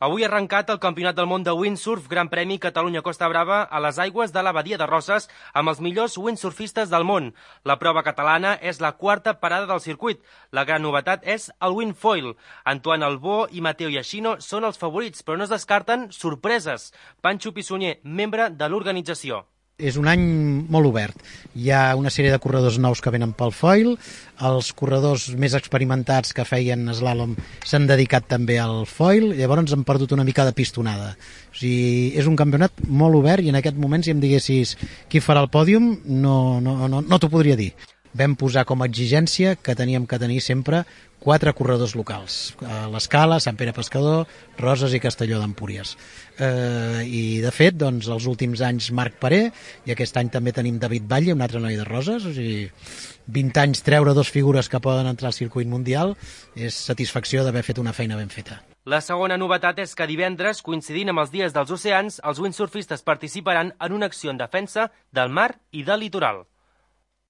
Avui ha arrencat el Campionat del Món de Windsurf Gran Premi Catalunya Costa Brava a les aigües de la Badia de Roses amb els millors windsurfistes del món. La prova catalana és la quarta parada del circuit. La gran novetat és el windfoil. Antoine Albó i Mateo Yashino són els favorits, però no es descarten sorpreses. Pancho Pissunyer, membre de l'organització. És un any molt obert. Hi ha una sèrie de corredors nous que venen pel foil, els corredors més experimentats que feien slalom s'han dedicat també al foil, llavors han perdut una mica de pistonada. O sigui, és un campionat molt obert i en aquest moment, si em diguessis qui farà el pòdium, no t'ho podria dir. Vam posar com a exigència que teníem que tenir sempre 4 corredors locals, l'Escala, Sant Pere Pescador, Roses i Castelló d'Empúries. I de fet, doncs, els últims anys Marc Paré, i aquest any també tenim David Batlle, un altre noi de Roses, o sigui, 20 anys treure 2 figures que poden entrar al circuit mundial és satisfacció d'haver fet una feina ben feta. La segona novetat és que divendres, coincidint amb els dies dels oceans, els windsurfistes participaran en una acció en defensa del mar i del litoral.